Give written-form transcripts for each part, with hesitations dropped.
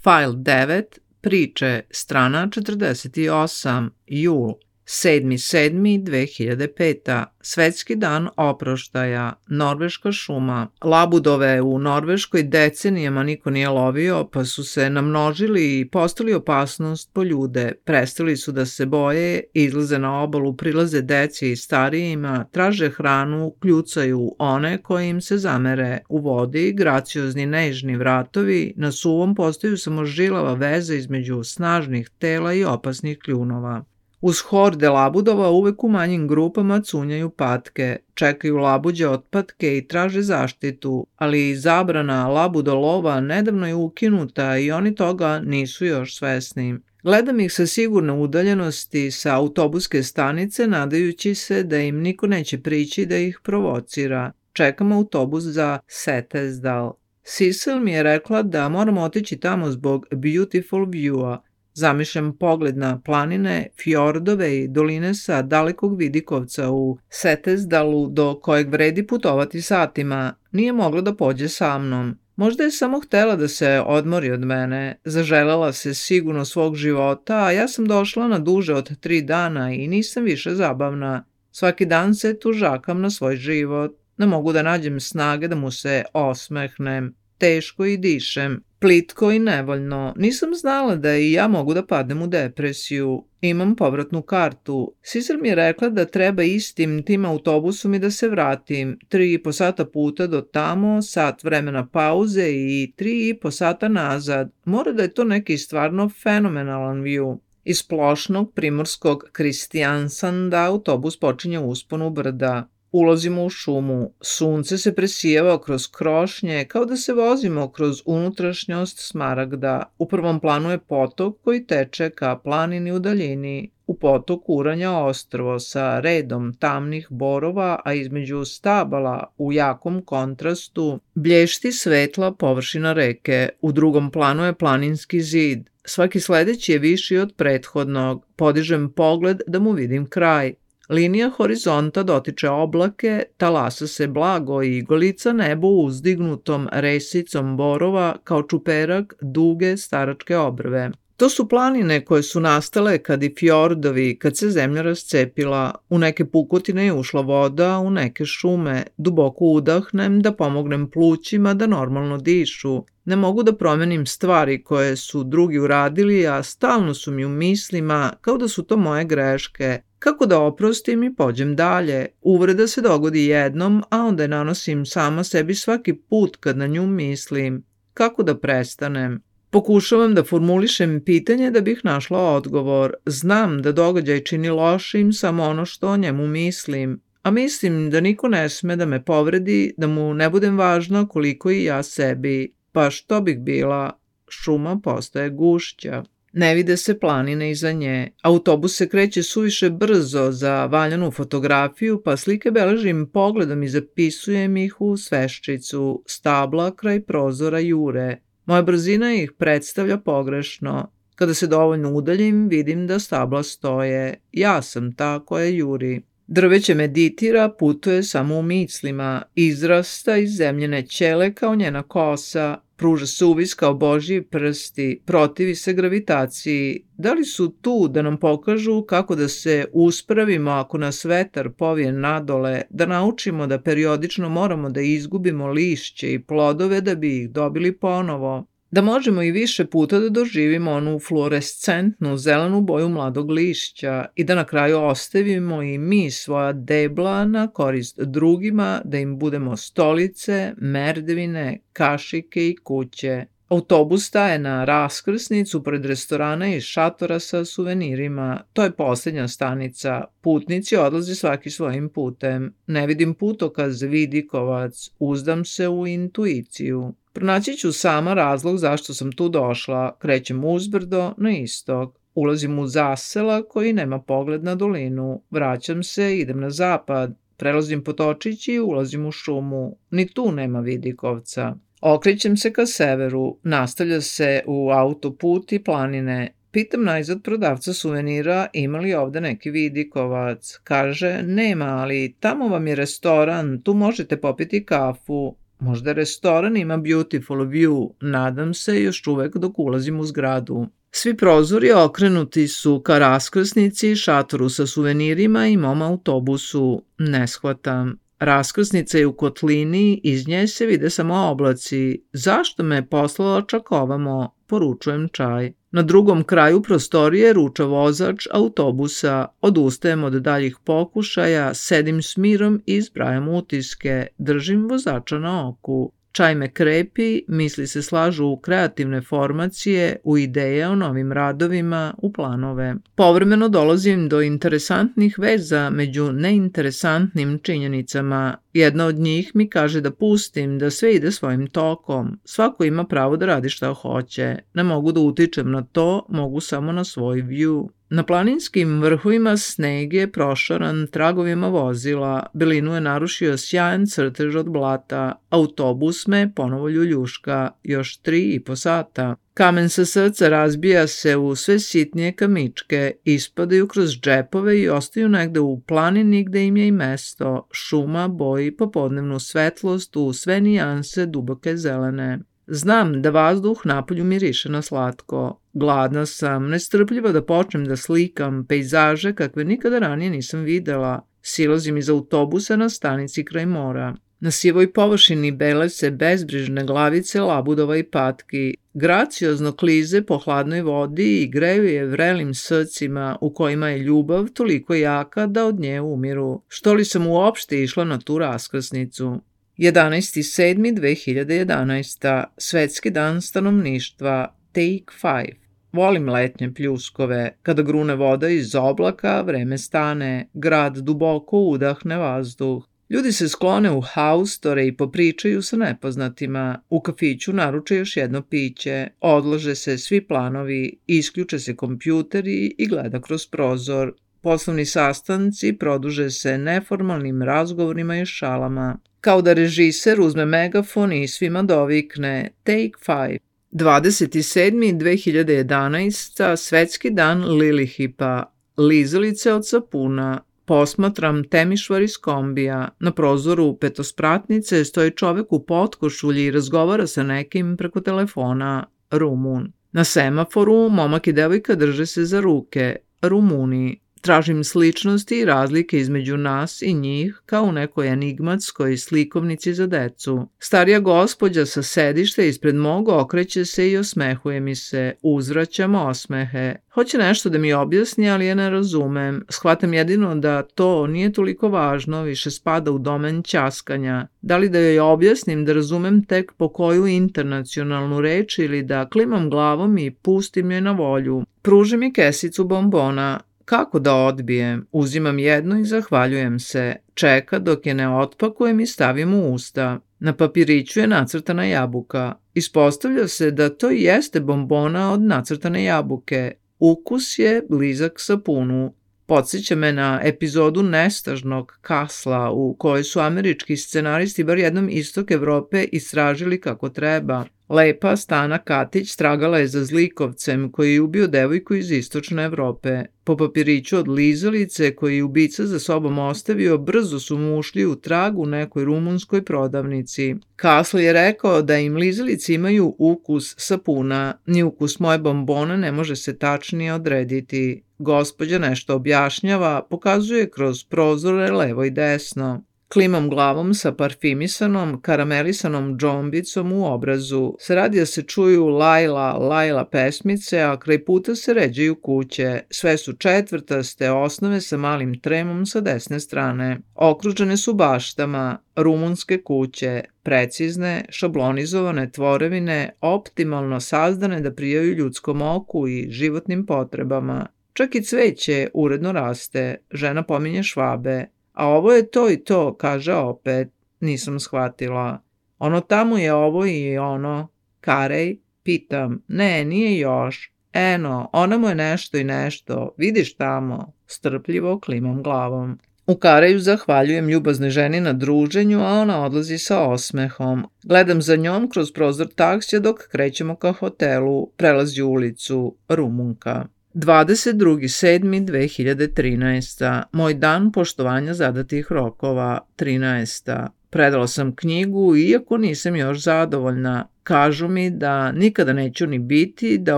File 9, priče, strana 48, jul, 7.7.2005. Svetski dan oproštaja, Norveška šuma. Labudove u Norveškoj decenijama niko nije lovio, pa su se namnožili i postali opasnost po ljude. Prestali su da se boje, izlaze na obalu, prilaze deci i starijima, traže hranu, kljucaju one koji im se zamere. U vodi, graciozni nežni vratovi, na suvom postaju samo žilava veza između snažnih tela i opasnih kljunova. Uz horde labudova uvek u manjim grupama cunjaju patke, čekaju labuđe otpatke i traže zaštitu, ali zabrana labudolova nedavno je ukinuta i oni toga nisu još svesni. Gledam ih sa sigurne udaljenosti sa autobuske stanice, nadajući se da im niko neće prići da ih provocira. Čekam autobus za Setesdal. Sissel mi je rekla da moramo otići tamo zbog Beautiful View-a. Zamišljam pogled na planine, fjordove i doline sa dalekog vidikovca u Setesdalu do kojeg vredi putovati satima. Nije mogla da pođe sa mnom. Možda je samo htela da se odmori od mene. Zaželela se sigurno svog života, a ja sam došla na duže od 3 dana i nisam više zabavna. Svaki dan se tužakam na svoj život. Ne mogu da nađem snage da mu se osmehnem. Teško i dišem. Plitko i nevoljno. Nisam znala da i ja mogu da padnem u depresiju. Imam povratnu kartu. Sissel mi je rekla da treba istim tim autobusom i da se vratim. 3,5 sata puta do tamo, sat vremena pauze i 3,5 sata nazad. Mora da je to neki stvarno fenomenalan view. Iz plošnog primorskog Kristiansanda autobus počinje usponu brda. Ulazimo u šumu. Sunce se presijeva kroz krošnje kao da se vozimo kroz unutrašnjost Smaragda. U prvom planu je potok koji teče ka planini u daljini. U potoku uranja ostrvo sa redom tamnih borova, a između stabala u jakom kontrastu blješti svetla površina reke. U drugom planu je planinski zid. Svaki sledeći je viši od prethodnog. Podižem pogled da mu vidim kraj. Linija horizonta dotiče oblake, talasa se blago i golica nebo uzdignutom resicom borova kao čuperak duge staračke obrve. To su planine koje su nastale kad i fjordovi, kad se zemlja rascepila. U neke pukotine je ušla voda, u neke šume. Duboko udahnem da pomognem plućima da normalno dišu. Ne mogu da promenim stvari koje su drugi uradili, a stalno su mi u mislima kao da su to moje greške. Kako da oprostim i pođem dalje? Uvreda se dogodi jednom, a onda je nanosim sama sebi svaki put kad na nju mislim. Kako da prestanem? Pokušavam da formulišem pitanje da bih našla odgovor. Znam da događaj čini lošim samo ono što o njemu mislim, a mislim da niko ne sme da me povredi, da mu ne budem važna koliko i ja sebi. Pa što bih bila? Šuma postaje gušća. Ne vide se planine iza nje. Autobus se kreće suviše brzo za valjanu fotografiju, pa slike beležim pogledom i zapisujem ih u sveščicu. Stabla kraj prozora jure. Moja brzina ih predstavlja pogrešno. Kada se dovoljno udaljim, vidim da stabla stoje. Ja sam ta koja juri. Drveće meditira, putuje samo u mislima. Izrasta iz zemljene ćele kao njena kosa. Pruža suvis kao Božji prsti, protivi se gravitaciji. Da li su tu da nam pokažu kako da se uspravimo ako nas vetar povije nadole, da naučimo da periodično moramo da izgubimo lišće i plodove da bi ih dobili ponovo? Da možemo i više puta da doživimo onu fluorescentnu zelenu boju mladog lišća i da na kraju ostavimo i mi svoja debla na korist drugima, da im budemo stolice, merdevine, kašike i kuće. Autobus staje na raskrsnicu pred restorana i šatora sa suvenirima. To je posljednja stanica. Putnici odlaze svaki svojim putem. Ne vidim putokaz vidikovac, uzdam se u intuiciju. Pronaći ću sama razlog zašto sam tu došla. Krećem uzbrdo na istok. Ulazim u zasela koji nema pogled na dolinu. Vraćam se, idem na zapad. Prelazim potočić i ulazim u šumu. Ni tu nema vidikovca. Okrećem se ka severu. Nastavlja se u autoput i planine. Pitam najzad prodavca suvenira ima li ovde neki vidikovac. Kaže, nema, ali tamo vam je restoran, tu možete popiti kafu. Možda restoran ima beautiful view, nadam se, još uvek dok ulazim u zgradu. Svi prozori okrenuti su ka raskrsnici, šatoru sa suvenirima i mom autobusu. Ne shvatam. Raskrsnica je u kotlini, iz nje se vide samo oblaci. Zašto me je poslala čak ovamo? Poručujem čaj. Na drugom kraju prostorije ruča vozač autobusa. Odustajem od daljih pokušaja, sedim s mirom i zbrajam utiske. Držim vozača na oku. Čaj me krepi, misli se slažu u kreativne formacije, u ideje o novim radovima, u planove. Povremeno dolazim do interesantnih veza među neinteresantnim činjenicama. Jedna od njih mi kaže da pustim, da sve ide svojim tokom. Svako ima pravo da radi šta hoće. Ne mogu da utičem na to, mogu samo na svoj view. Na planinskim vrhovima sneg je prošaran tragovima vozila, belinu je narušio sjajan crtež od blata, autobus me ponovo ljuljuška, još 3,5 sata. Kamen sa srca razbija se u sve sitnije kamičke, ispadaju kroz džepove i ostaju negde u planini gde im je i mesto. Šuma boji popodnevnu svetlost u sve nijanse duboke zelene. Znam da vazduh napolju miriše na slatko. Gladna sam, nestrpljiva da počnem da slikam pejzaže kakve nikada ranije nisam videla. Silazim iz autobusa na stanici kraj mora. Na sivoj površini bele se bezbrižne glavice labudova i patki. Graciozno klize po hladnoj vodi i greju je vrelim srcima u kojima je ljubav toliko jaka da od nje umiru. Što li sam uopšte išla na tu raskrsnicu? 11.7.2011. Svetski dan stanovništva. Take 5. Volim letnje pljuskove. Kada grune voda iz oblaka, vreme stane. Grad duboko udahne vazduh. Ljudi se sklone u haustore i popričaju sa nepoznatima. U kafiću naruče još jedno piće. Odlože se svi planovi, isključe se kompjuteri i gleda kroz prozor. Poslovni sastanci produže se neformalnim razgovorima i šalama. Kao da režiser uzme megafon i svima dovikne Take 5. 27.2011. Svetski dan Lilihipa. Lizalice od sapuna. Posmatram temišvar iz kombija. Na prozoru petospratnice stoji čovek u potkošulji i razgovara sa nekim preko telefona. Rumun. Na semaforu momak i devojka drže se za ruke. Rumuni. Tražim sličnosti i razlike između nas i njih kao u nekoj enigmatskoj slikovnici za decu. Starija gospođa sa sedišta ispred mog okreće se i osmehuje mi se. Uzvraćam osmehe. Hoće nešto da mi objasni, ali je ne razumem. Shvatam jedino da to nije toliko važno, više spada u domen ćaskanja. Da li da joj objasnim da razumem tek po koju internacionalnu reč ili da klimam glavom i pustim joj na volju. Pruži mi kesicu bombona. Kako da odbijem? Uzimam jedno i zahvaljujem se. Čeka dok je ne otpakujem i stavim u usta. Na papiriću je nacrtana jabuka. Ispostavlja se da to jeste bombona od nacrtane jabuke. Ukus je blizak sapunu. Podsjeća me na epizodu nestažnog Kasla u kojoj su američki scenaristi bar jednom istok Evrope istražili kako treba. Lepa Stana Katić tragala je za zlikovcem koji je ubio devojku iz istočne Evrope. Po papiriću od lizalice koji je ubica za sobom ostavio, brzo su mu ušli u trag u nekoj rumunskoj prodavnici. Kasl je rekao da im lizalice imaju ukus sapuna. Ni ukus moje bombone ne može se tačnije odrediti. Gospođa nešto objašnjava, pokazuje kroz prozore levo i desno. Klimam glavom sa parfimisanom, karamelisanom džombicom u obrazu. S radija se čuju Lajla pesmice, a kraj puta se ređaju kuće. Sve su četvrtaste osnove sa malim tremom sa desne strane. Okružene su baštama, rumunske kuće, precizne, šablonizovane tvorevine, optimalno sazdane da prijaju ljudskom oku i životnim potrebama. Čak i cveće uredno raste, žena pominje Švabe. A ovo je to i to, kaže opet. Nisam shvatila. Ono tamo je ovo i ono. Karej? Pitam. Ne, nije još. Eno, ona mu je nešto i nešto. Vidiš tamo. Strpljivo klimam glavom. U Kareju zahvaljujem ljubaznoj ženi na druženju, a ona odlazi sa osmehom. Gledam za njom kroz prozor taksija dok krećemo ka hotelu. Prelazi ulicu. Rumunka. 22.7.2013. Moj dan poštovanja zadatih rokova. 13. Predala sam knjigu, iako nisam još zadovoljna. Kažu mi da nikada neću ni biti, da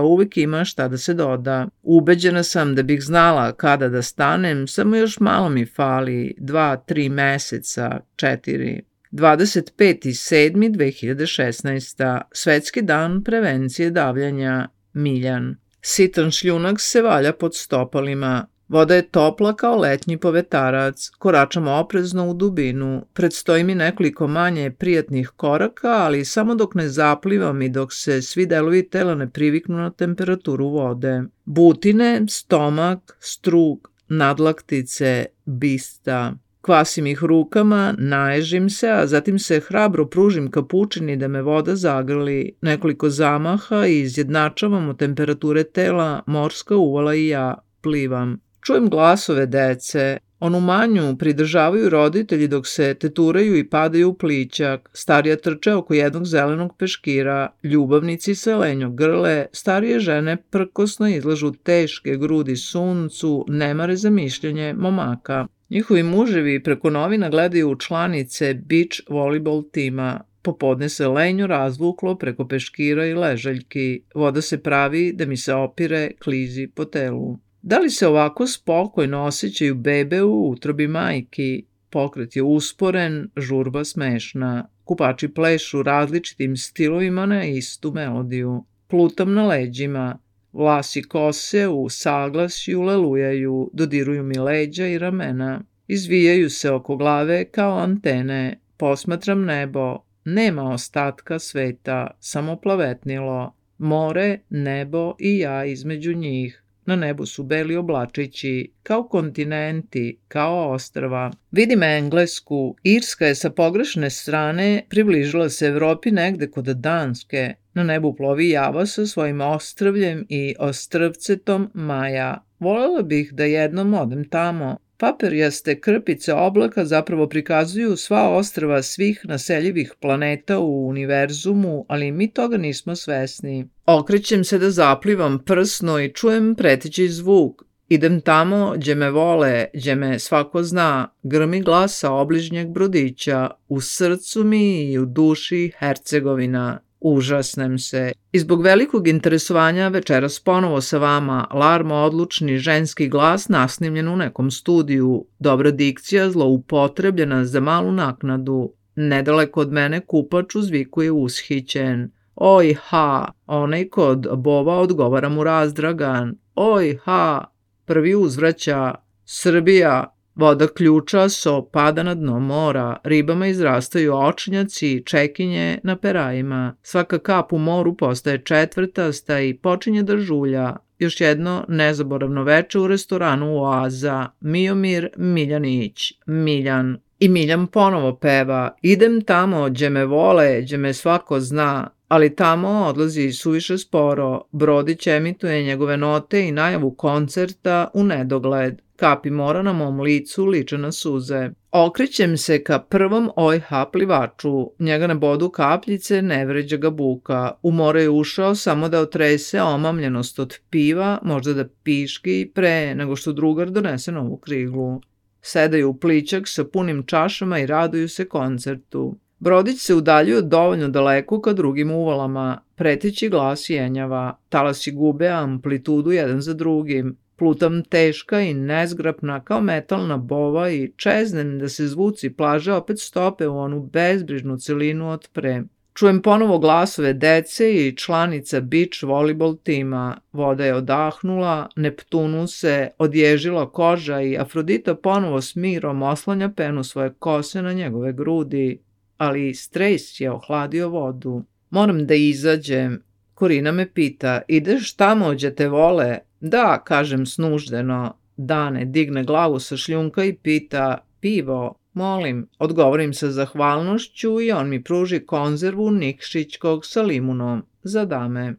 uvek ima šta da se doda. Ubeđena sam da bih znala kada da stanem, samo još malo mi fali, 2-3 meseca, 4. 25.7.2016. Svetski dan prevencije davljanja. Miljan. Sitan šljunak se valja pod stopalima. Voda je topla kao letnji povetarac. Koračam oprezno u dubinu. Predstoji mi nekoliko manje prijatnih koraka, ali samo dok ne zaplivam i dok se svi delovi tela ne priviknu na temperaturu vode. Butine, stomak, strug, nadlaktice, bista. Kvasim ih rukama, naježim se, a zatim se hrabro pružim kapučini da me voda zagrli. Nekoliko zamaha i izjednačavamo temperature tela, morska uvala i ja plivam. Čujem glasove dece. Onu manju pridržavaju roditelji dok se teturaju i padaju u plićak. Starija trče oko jednog zelenog peškira. Ljubavnici se lenjo grle. Starije žene prkosno izlažu teške grudi suncu, nemare za mišljenje momaka. Njihovi muževi preko novina gledaju članice beach volleyball tima. Popodne se lenjo razvuklo preko peškira i ležaljki. Voda se pravi da mi se opire, klizi po telu. Da li se ovako spokojno osjećaju bebe u utrobi majki? Pokret je usporen, žurba smešna. Kupači plešu različitim stilovima na istu melodiju. Plutam na leđima. Vlasi kose u saglasju lelujaju, dodiruju mi leđa i ramena. Izvijaju se oko glave kao antene. Posmatram nebo. Nema ostatka sveta, samo plavetnilo. More, nebo i ja između njih. Na nebu su beli oblačići, kao kontinenti, kao ostrva. Vidim Englesku. Irska je sa pogrešne strane približila se Evropi negde kod Danske. Na nebu plovi Java sa svojim ostrvljem i ostrvcetom Maja. Volela bih da jednom odem tamo. Papirjaste krpice oblaka zapravo prikazuju sva ostrva svih naseljivih planeta u univerzumu, ali mi toga nismo svesni. Okrećem se da zaplivam prsno i čujem preteći zvuk. Idem tamo gdje me vole, gdje me svako zna, grmi glasa obližnjeg brodića, u srcu mi i u duši Hercegovina. Užasnem se. I zbog velikog interesovanja večeras ponovo sa vama, larmo odlučni ženski glas nasnimljen u nekom studiju, dobra dikcija zloupotrebljena za malu naknadu. Nedaleko od mene kupač uzvikuje ushićen. Oj ha, onaj kod bova odgovara mu razdragan. Oj ha, prvi uzvraća. Srbija. Voda ključaso pada na dno mora, ribama izrastaju očnjaci, čekinje na perajima. Svaka kap u moru postaje četvrtasta i počinje da žulja. Još jedno nezaboravno veče u restoranu Oaza. Miomir Miljanić. Miljan. I Miljan ponovo peva. Idem tamo gdje me vole, gdje me svako zna. Ali tamo odlazi suviše sporo. Brodić emituje njegove note i najavu koncerta u nedogled. Kapi mora na mom licu liče na suze. Okrećem se ka prvom OH plivaču. Njega ne bodu kapljice, ne vređa ga buka. U more je ušao samo da otrese omamljenost od piva, možda da piški, pre nego što drugar donese novu kriglu. Sedaju u plićak sa punim čašama i raduju se koncertu. Brodić se udaljuje dovoljno daleko ka drugim uvalama. Preteći glas jenjava. Talasi gube amplitudu jedan za drugim. Plutam teška i nezgrapna kao metalna bova i čeznem da se zvuci plaže opet stope u onu bezbrižnu celinu od pre. Čujem ponovo glasove dece i članica beach volleyball tima. Voda je odahnula, Neptunu se odježila koža i Afrodita ponovo s mirom oslanja penu svoje kose na njegove grudi. Ali stres je ohladio vodu. Moram da izađem. Korina me pita, ideš tamo gdje te vole? Da, kažem snuždeno. Dane digne glavu sa šljunka i pita, pivo? Molim, odgovorim sa zahvalnošću i on mi pruži konzervu nikšićkog sa limunom za dame.